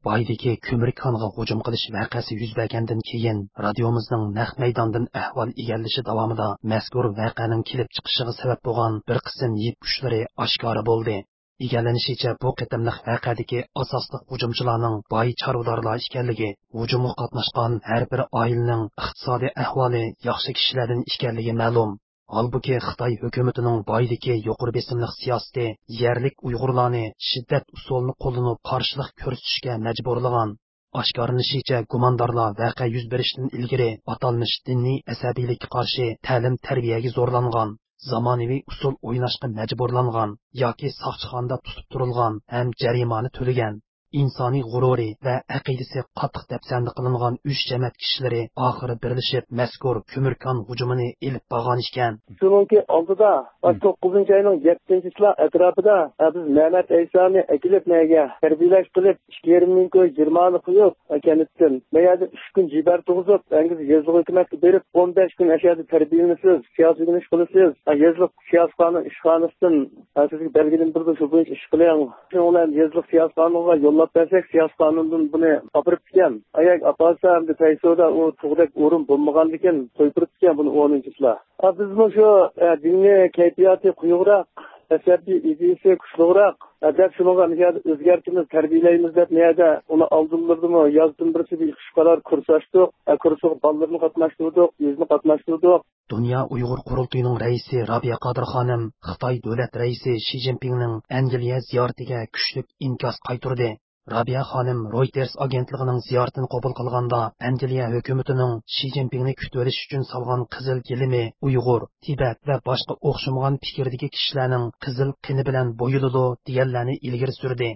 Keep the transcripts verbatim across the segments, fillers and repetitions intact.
بايدىكى كۆمۈر كانىغا ھۇجۇم قىلىش ۋەقەسى يۈز بەرگەندىن كېيىن، رادىيومىزنىڭ نەق مەيداندىن ئەھۋال ئىگىلىشى داۋامىدا مەزكۇر ۋەقەنىڭ كېلىپ چىقىشىغا سەۋەب بولغان بىر قىسىم يىپ ئۇچلىرى ئاشكارا بولدى. ئىگىلىنىشىچە، بۇ قېتىملىق ۋەقەدىكى ئاساسلىق ھۇجۇمچىلارنىڭ باي چارۋىدارلار ئىكەنلىكى، ھۇجۇمغا قاتناشقان ھەر بىر ئائىلىنىڭ ئىقتىسادىي ئەھۋالى ياخشى كىشىلەردىن ئىكەنلىكى مەلۇم. ھالبۇكى، خىتاي ھۆكۈمىتىنىڭ بايدىكى يۇقىرى بېسىملىق سىياسىتى يەرلىك ئۇيغۇرلارنى شىددەت ئۇسۇلىنى قوللىنىپ قارشىلىق كۆرسىتىشكە مەجبۇرلىغان. ئاشكارىلىنىشىچە، گۇماندارلار ۋەقە يۈز بېرىشتىن ئىلگىرى ئاتالمىش دىنىي ئەسەبىيلىككە قارشى تەلىم-تەربىيەگە زورلانغان، زامانىۋى ئۇسۇل ئويناشقا مەجبۇرلانغان ياكى ساقچىخانىدا تۇتۇپ تۇرۇلغان ھەم جەرىمانە تۆلىگەن، ئىنسانىي غۇرۇرى ۋە ئەقىدىسى قاتتىق دەپسەندە قىلىنغان ئۈچ جەمەت كىشىلىرى ئاخىرى بىرلىشىپ مەزكۇر كۆمۈر كان ھۇجۇمىنى ئېلىپ بارغان ئىكەن. شۇنىڭكى ئالدىدا، مم، توققۇزىنچى ئاينىڭ يەتتىنچىسى ئەتراپىدا، ئە، بىز مەمەت ئەيسانى ئەكېلىپ نەگە تەربىيەلەش قىلىپ، ئىككى يېرىم مىڭ كوي جېرىمانە قويۇپ، ئە، كەنتتىن. مەيەردە ئۈچ كۈن جىبەر تۇغۇزۇپ، ئەنگىز يېزىلىق ھۆكۈمەتكە بېرىپ، ئون بەش كۈن ئەشەدە تەربىيەلىنىسىز، سىياسىي ئۆگىنىش قىلىسىز. ئە، يېزىلىق سىياسىي قانۇن ئىشخانىسىدىن، ئە، سىزگە بەلگىلىمە بېرىدۇ، شۇ بويىچە ئىش قىلىڭ. شۇنىڭ بىلەن يېزىلىق سىياسىي قانۇنغا يوللاپ بەرسەك، سىياسىي قانۇندىن بۇنى ئاپىرىپتىكەن. ئەگەر ئاپارسا، ئەمدى پەيسودا ئۇ تۇغدەك ئورۇن بولمىغاندىكىن، سويۇپ بېرىپتىكەن بۇنى ئورنىنچىسىلار. ئە، بىزمۇ شۇ، ئە، دىنىي كەيپىياتى قويۇقراق، ئەسەبىي ئىدىيىسى كۈچلۈكرەك، ئە، دەپ شۇنىڭغا مۇ يەردە ئۆزگەرتىمىز، تەربىيەلەيمىز دەپ مۇ يەردە ئۇنى ئالدىنلىرىدىمۇ يازدىن بىرسى بىر ئىككى ئۈچ قاتار كۇرس ئاچتۇق. ئە، كۇرسىغا بالىلىرىنى قاتناشتۇردۇق، ئۆزىنى قاتناشتۇردۇق. دۇنيا ئۇيغۇر قۇرۇلتىيىنىڭ رەئىسى رابىيە قادىر خانىم خىتاي دۆلەت رەئىسى شى جىنپىڭنىڭ ئەنگلىيە زىيارىتىگە كۈچلۈك ئىنكاس قايتۇردى. رابىيە خانىم رويتېرس ئاگېنتلىقىنىڭ زىيارىتىنى قوبۇل قىلغاندا، ئەنگلىيە ھۆكۈمىتىنىڭ شى جىنپىڭنى كۈتۈۋېلىش ئۈچۈن سالغان قىزىل گىلىمى ئۇيغۇر، تىبەت ۋە باشقا ئوخشىمىغان پىكىردىكى كىشىلەرنىڭ قىزىل قېنى بىلەن بويىلىدۇ، دېگەنلەرنى ئىلگىرى سۈردى.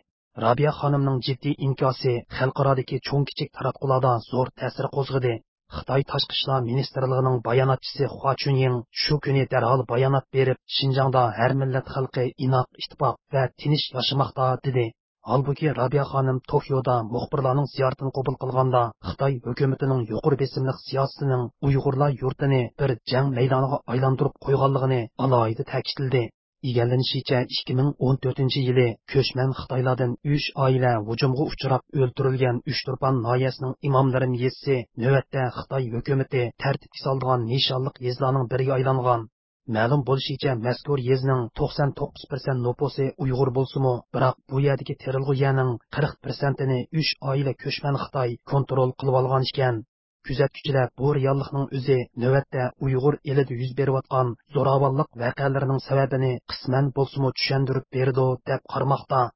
رابىيە خانىمنىڭ جىددىي ئىنكاسى خەلقئارادىكى چوڭ-كىچىك تاراتقۇلاردا زور تەسىر قوزغىدى. خىتاي تاشقى ئىشلار مىنىستىرلىقىنىڭ باياناتچىسى خۇا چۈنيىڭ شۇ كۈنى دەرھال بايانات بېرىپ، شىنجاڭدا ھەر مىللەت خەلقى ئىناق، ئىتتىپاق ۋە تىنچ ياشىماقتا، دېدى. ھالبۇكى، رابىيە خانىم توكيودا مۇخبىرلارنىڭ زىيارىتىنى قوبۇل قىلغاندا، خىتاي ھۆكۈمىتىنىڭ يۇقىرى بېسىملىق سىياسىتىنىڭ ئۇيغۇرلار يۇرتىنى بىر جەڭ مەيدانىغا ئايلاندۇرۇپ قويغانلىقىنى ئالاھىدە تەكىتلىدى. ئىگىلىنىشىچە، ئىككى مىڭ ئون تۆتىنچى يىلى كۆچمەن خىتايلاردىن ئۈچ ئائىلە ھۇجۇمغا ئۇچراپ ئۆلتۈرۈلگەن ئۇچتۇرپان ناھىيەسىنىڭ ئىمام لېرىم يېزىسى نۆۋەتتە خىتاي ھۆكۈمىتى تەرتىپكە سالىدىغان نىشانلىق يېزىلارنىڭ بىرىگە ئايلانغان. مەلۇم بولۇشىچە، مەزكۇر يېزىنىڭ توقسان توققۇز پىرسەنت نوپۇسى ئۇيغۇر بولسىمۇ، بىراق بۇ يەردىكى تېرىلغۇ يەرنىڭ قىرىق پىرسەنتىنى ئۈچ ئائىلە كۆچمەن خىتاي كونترول قىلىۋالغان ئىكەن. كۆزەتكۈچىلەر بۇ رېئاللىقنىڭ ئۆزى نۆۋەتتە ئۇيغۇر ئېلىدە يۈز بېرىۋاتقان زوراۋانلىق ۋەقەلىرىنىڭ سەۋەبىنى قىسمەن بولسىمۇ چۈشەندۈرۈپ بېرىدۇ، دەپ قارىماقتا.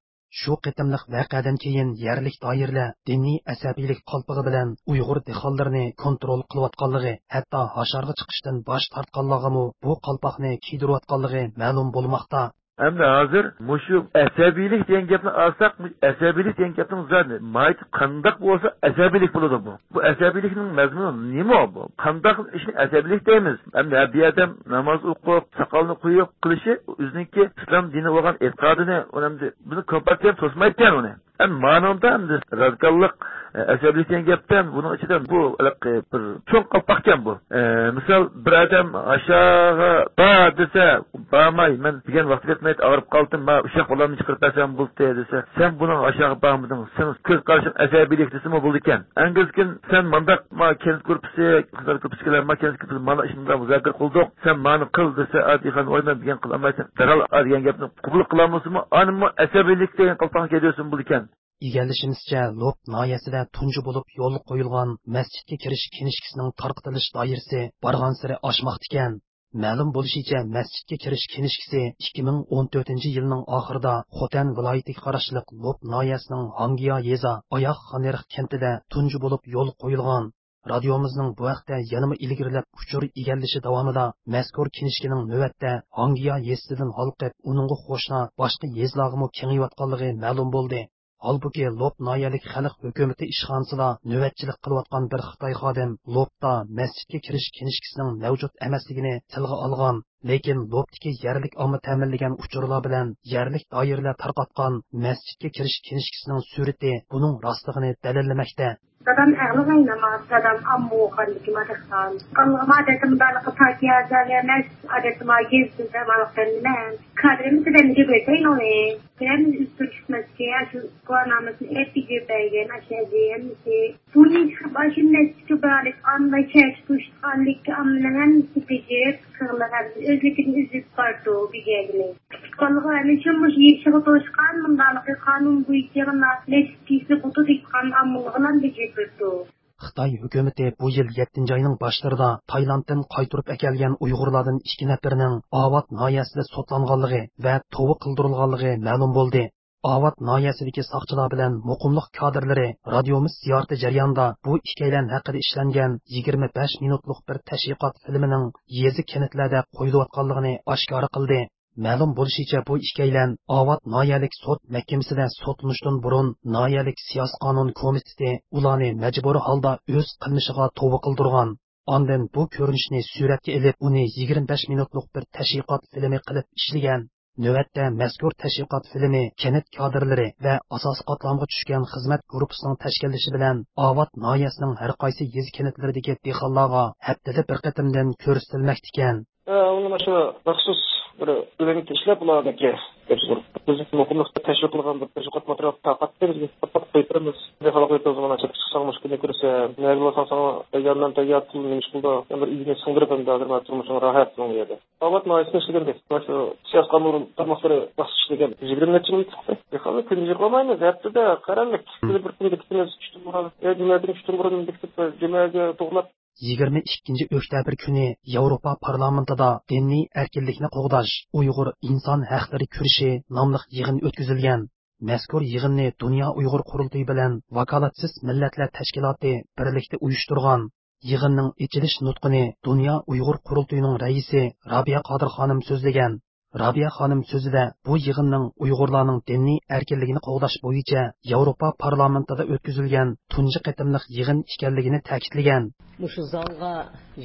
شۇ قېتىملىق ۋەقەدىن كېيىن يەرلىك دائىرىلەر دىنىي ئەسەبىيلىك قالپىقى بىلەن ئۇيغۇر دېھقانلىرىنى كونترول قىلىۋاتقانلىقى، ھەتتا ھاشارغا چىقىشتىن باش تارتقانلارغىمۇ بۇ قالپاقنى كىيدۈرۈۋاتقانلىقى مەلۇم بولماقتا. ئەمدى ھازىر مۇشۇ ئەسەبىيلىك دېگەن گەپنى ئالساق، مۇشۇ ئەسەبىيلىك دېگەن گەپنىڭ زادى ماھىيىتى قانداق بولسا ئەسەبىيلىك بولىدۇ بۇ. بۇ ئەسەبىيلىكنىڭ مەزمۇنى نېمە بۇ؟ قانداق ئىشنى ئەسەبىيلىك دەيمىز؟ ئەمدى ھە، بىر ئادەم ناماز ئوقۇپ، ساقالنى قويۇپ قىلىشى ئۆزىنىڭكى ئىسلام دىنى بولغان ئېتىقادىنى، ئۇنى ئەمدى بۇنى كومپارتىيە توسمايدىكەن ئۇنى. ئەمدى مانىڭدا ئەمدى رادىكاللىق، ئە، ئەسەبىيلىك دېگەن گەپتە بۇنىڭ ئىچىدە بۇ ھېلىقى بىر چوڭ قالپاقكەن بۇ. ئە، مىسال، بىر ئادەم ئاشاغا بار دېسە، بارماي، مەن دېگەن ۋاقتى يەتمەيدۇ، ئاغرىپ قالدىم، ما ئۇششاق بالامنى چىقىرىپ بەرسەم بولدى دېسە، سەن بۇنىڭ ئاشاغا بارمىدىڭ، سېنىڭ كۆز قارىشىڭ ئەسەبىيلىك دېسىمۇ بولىدىكەن. ئەنگىزكىن سەن مانداق، ما كەنت گۇرۇپپىسى، قىزلار گۇرۇپپىسىدىكىلەر، ما كەنت گۇرۇپپىسى مانا ئىشنى مۇزاكىرە قىلدۇق، سەن مانى قىل دېسە، ئادىي خان، ۋاي، مەن دېگەن قىلالمايسەن، دەرھال ئا دېگەن گەپنى قوبۇل قىلالمىسىمۇ، ئانىمۇ ئەسەبىيلىك دېگەن قالپاقنى كىيدۈرسىمۇ بولىدىكەن. ئىگىلىشىمىزچە، لوپ ناھىيەسىدە تۇنجى بولۇپ يولغا قويۇلغان مەسچىتكە كىرىش كىنىشكىسىنىڭ تارقىتىلىش دائىرىسى بارغانسېرى ئاشماقتىكەن. مەلۇم بولۇشىچە، مەسچىتكە كىرىش كىنىشكىسى ئىككى مىڭ ئون تۆتىنچى يىلنىڭ ئاخىرىدا خوتەن ۋىلايىتىگە قاراشلىق لوپ ناھىيەسىنىڭ ھاڭگىيا يېزا ئاياغ خانئېرىق كەنتىدە تۇنجى بولۇپ يولغا قويۇلغان. رادىيومىزنىڭ بۇ ھەقتە يەنىمۇ ئىلگىرىلەپ ئۇچۇر ئىگىلىشى داۋامىدا مەزكۇر كىنىشكىنىڭ نۆۋەتتە ھاڭگىيا يېزىسىدىن ھالقىپ، ئۇنىڭغا قوشنا باشقا يېزىلارغىمۇ كېڭىيىۋاتقانلىقى مەلۇم بولدى. ھالبۇكى، لوپ ناھىيەلىك خەلق ھۆكۈمىتى ئىشخانىسىدا نۆۋەتچىلىك قىلىۋاتقان بىر خىتاي خادىم لوپتا مەسچىتكە كىرىش كىنىشكىسىنىڭ مەۋجۇت ئەمەسلىكىنى تىلغا ئالغان، لېكىن لوپتىكى يەرلىك ئامما تەمىنلىگەن ئۇچۇرلار بىلەن يەرلىك دائىرىلەر تارقاتقان مەسچىتكە كىرىش كىنىشكىسىنىڭ سۈرىتى بۇنىڭ راستلىقىنى دەلىللىمەكتە. دادام ئەقلىغا ئايلانماس، دادام ئامما ئوقۇغاندىكى مادەخسان. قالغان ئادەتتە مۇدارلىققا پاكىيازە ئەمەس، ئادەتتە ما گېزىتىمىز ئەمالىق بەندىمەن. كادىرىمىز بەندىگە بېرەيلى. بىرەر ئۆزگىرىش چىقماس ئىكەن، شۇ گۇۋاھنامىسىنى ئەپ بېجىرىپ بەرگەن ئاشۇ ھەممىسى. بۇنى ئاشۇ مەسچىتكە بارلىق ئامما، شەھەرچە توشۇپ قالغانلىكى ئاممىنىڭ ھەممىسى بېجىرىپ، قىغلىغان ئۆزلۈكىدىن ئۈزۈپ بارىدۇ بېجەرگىلى. كۈتۈپ قالغان ئەنە شۇ مۇشۇ يېشىغا توشقان، مۇنداقلىقى قانۇن بويىچە مۇنداق نەچچە كېسىلى بۇتۇ دېھقان ئاممىغىلا بېجىرىپ بېرىپتۇ. خىتاي ھۆكۈمىتى بۇ يىل يەتتىنچى ئاينىڭ باشلىرىدا تايلاندتىن قايتۇرۇپ ئەكەلگەن ئۇيغۇرلاردىن ئىككى نەپىرىنىڭ ئاۋات ناھىيەسىدە سوتلانغانلىقى ۋە توۋا قىلدۇرۇلغانلىقى مەلۇم بولدى. ئاۋات ناھىيەسىدىكى ساقچىلار بىلەن مۇقىملىق كادىرلىرى رادىيومىز زىيارىتى جەريانىدا بۇ ئىككىيلەن ھەققىدە ئىشلەنگەن يىگىرمە بەش مىنۇتلۇق بىر تەشۋىقات فىلىمىنىڭ يېزا، كەنتلەردە قويۇلۇۋاتقانلىقىنى ئاشكارا قىلدى. مەلۇم بولۇشىچە، بۇ ئىككىيلەن ئاۋات ناھىيەلىك سوت مەھكىمىسىدە سوتلىنىشتىن بۇرۇن ناھىيەلىك سىياسىي قانۇن كومىتېتى ئۇلارنى مەجبۇرىي ھالدا ئۆز قىلمىشىغا توۋا قىلدۇرغان. ئاندىن بۇ كۆرۈنۈشنى سۈرەتكە ئېلىپ، ئۇنى يىگىرمە بەش مىنۇتلۇق بىر تەشۋىقات فىلىمى قىلىپ ئىشلىگەن. نۆۋەتتە مەزكۇر تەشۋىقات فىلىمى كەنت كادىرلىرى ۋە ئاساسىي قاتلامغا چۈشكەن خىزمەت گۇرۇپپىسىنىڭ تەشكىللىشى بىلەن ئاۋات ناھىيەسىنىڭ ھەر قايسى يېزا، كەنتلىرىدىكى دېھقانلارغا ھەپتىدە بىر قېتىمدىن كۆرسىتىلمەكتىكەن. ئە، ئۇنى مانا شۇ مەخسۇس بىر ئۆلەمگە ئىشلەپ، ئۇلارنىڭكى بىز مۇقىملىقتا تەشۋىق قىلغان بىر تەشۋىقات ماتېرىيالى تارقاتتى، بىزگە تارقاتىپ قويۇپ بېرىمىز. دېھقانلار قويۇپ بېرىمىز، مانا چىقىپ چىقساڭ مۇشۇ كۈننى كۆرسە، نەگىلا بارساڭ ساڭا تەييار نان، تەييار پۇل، نېمە ئىش قىلىدۇ، بىر ئۆينى سىڭدۈرۈپ، ئەمدى ھازىر مانا تۇرمۇشۇڭ راھەت بۇنىڭ يەردە. ئاۋات ناھىيەسىدە ئىشلىگەن بىز. مانا شۇ سىياسىي قانۇن تارماقلىرى مەخسۇس ئىشلىگەن. يىگىرمە نەچچە يىل كېتىپتۇ. دېھقانلار كۈندۈز يىغلىمايمىز، ھەپتىدە قەرەللىك. بىر كۈن بېكىتىمىز، چۈشتىن بۇرۇن، يا جۈمەدىن چۈشتىن بۇرۇن بېكىتىپ، جۈمەگە توغلاپ. يىگىرمە ئىككىنچى ئۆكتەبىر كۈنى ياۋروپا پارلامېنتىدا دىنىي ئەركىنلىكنى قوغداش، ئۇيغۇر ئىنسان ھەقلىرى كۈرىشى ناملىق يىغىن ئۆتكۈزۈلگەن. مەزكۇر يىغىننى دۇنيا ئۇيغۇر قۇرۇلتىيى بىلەن ۋاكالەتسىز مىللەتلەر تەشكىلاتى بىرلىكتە ئۇيۇشتۇرغان. يىغىننىڭ ئېچىلىش نۇتقىنى دۇنيا ئۇيغۇر قۇرۇلتىيىنىڭ رەئىسى رابىيە قادىر خانىم سۆزلىگەن. رابىيە خانىم سۆزىدە بۇ يىغىننىڭ ئۇيغۇرلارنىڭ دىنىي ئەركىنلىكىنى قوغداش بويىچە ياۋروپا پارلامېنتىدا ئۆتكۈزۈلگەن تۇنجى قېتىملىق يىغىن ئىكەنلىكىنى تەكىتلىگەن. مۇشۇ زالغا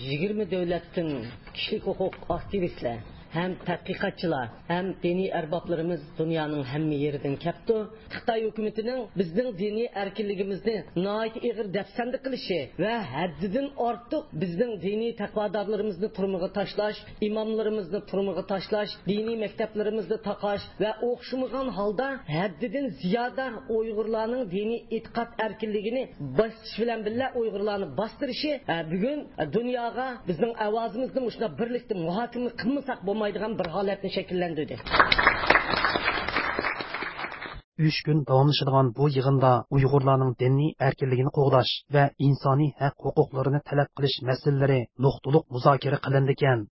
يىگىرمە دۆلەتتىن كىشىلىك ھوقۇق ئاكتىۋىستلار ھەم تەتقىقاتچىلار ھەم دىنىي ئەربابلىرىمىز دۇنيانىڭ ھەممە يېرىدىن كەپتۇ. خىتاي ھۆكۈمىتىنىڭ بىزنىڭ دىنىي ئەركىنلىكىمىزنى ناھايىتى ئېغىر دەپسەندە قىلىشى ۋە ھەددىدىن ئارتۇق بىزنىڭ دىنىي تەقۋادارلىرىمىزنى تۈرمىگە تاشلاش، ئىماملىرىمىزنى تۈرمىگە تاشلاش، دىنىي مەكتەپلىرىمىزنى تاقاش ۋە ئوخشىمىغان ھالدا ھەددىدىن زىيادە ئۇيغۇرلارنىڭ دىنىي ئېتىقاد ئەركىنلىكىنى بېسىش بىلەن بىللە ئۇيغۇرلارنى باستۇرۇشى، ئە، بۈگۈن دۇنياغا بىزنىڭ ئاۋازىمىزنى مۇشۇنداق بىرلىكتە مۇھاكىمە قىلمىساق بولمايدىغان بىر ھالەتنى شەكىللەندۈردى. ئۈچ كۈن داۋاملىشىدىغان بۇ يىغىندا ئۇيغۇرلارنىڭ دىنىي ئەركىنلىكىنى قوغداش ۋە ئىنسانىي ھەق ھوقۇقلىرىنى تەلەپ قىلىش مەسىلىلىرى نۇقتىلىق مۇزاكىرە قىلىنىدىكەن.